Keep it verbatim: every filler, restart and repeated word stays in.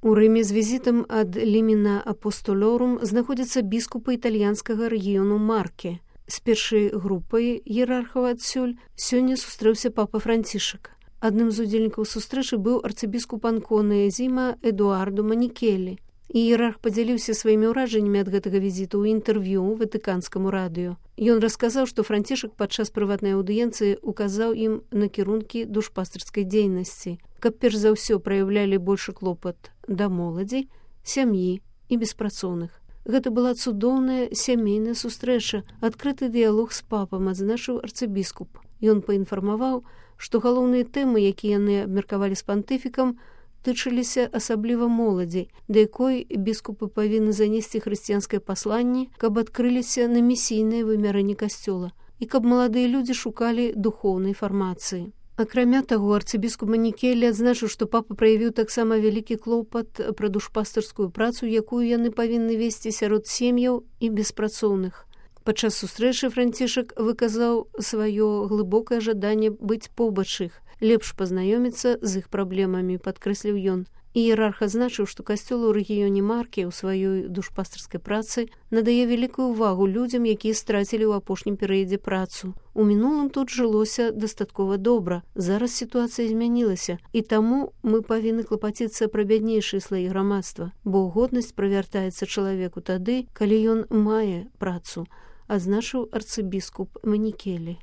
У Рыме з візітам ад Ліміна Апостолорум знаходзяцца біскупы італьянскага рэгіёну Марке. З першай групай іерархаў адсюль сёння сустрэўся папа Францішак. Адным з удзельнікаў сустрэчы быў арцыбіскуп Анконы Зіма Эдуарду Манікелі. Іерарх падзяліўся сваімі ўражаннямі ад гэтага візіту ў інтэрв'ю ватыканскаму радыё. Ён расказаў, што Францішак падчас прыватнай аўдыенцыі указаў ім накірункі душпастырскай дзейнасці, каб перш за ўсё праяўлялі большы клопат да моладзі, сям'і і беспрацоўных. Гэта была цудоўная сямейная сустрэча, адкрыты дыялог з папам, адзначыў арцыбіскуп. Ён паінфармаваў, што галоўныя тэмы, якія яны абмеркавалі з пантыфікам, тычыліся асабліва моладзі, да якой біскупы павінны занесці хрысціянскае пасланне, каб адкрыліся на місійнае вымярэнне касцёла і каб маладыя людзі шукалі духоўнай фармацыі. Акрамя таго, арцыбіскуп Манікелі адзначыў, што папа праявіў таксама вялікі клопат пра душпастырскую працу, якую яны павінны весці сярод сем'яў і беспрацоўных. Падчас сустрэчы Францішак выказаў сваё глыбокае жаданне быць побач іх, лепш пазнаёміцца з іх праблемамі, падкрэсліў ён. Іерарх адзначыў, што касцёл у рэгіёне Марке ў сваёй душпастырскай працы надае вялікую ўвагу людзям, якія страцілі ў апошнім перыядзе працу. У мінулым тут жылося дастаткова добра. Зараз сітуацыя змянілася, і таму мы павінны клапаціцца пра бяднейшыя слаі грамадства, бо годнасць правяртаецца чалавеку тады, калі ён мае працу, адзначыў арцыбіскуп Манікелі.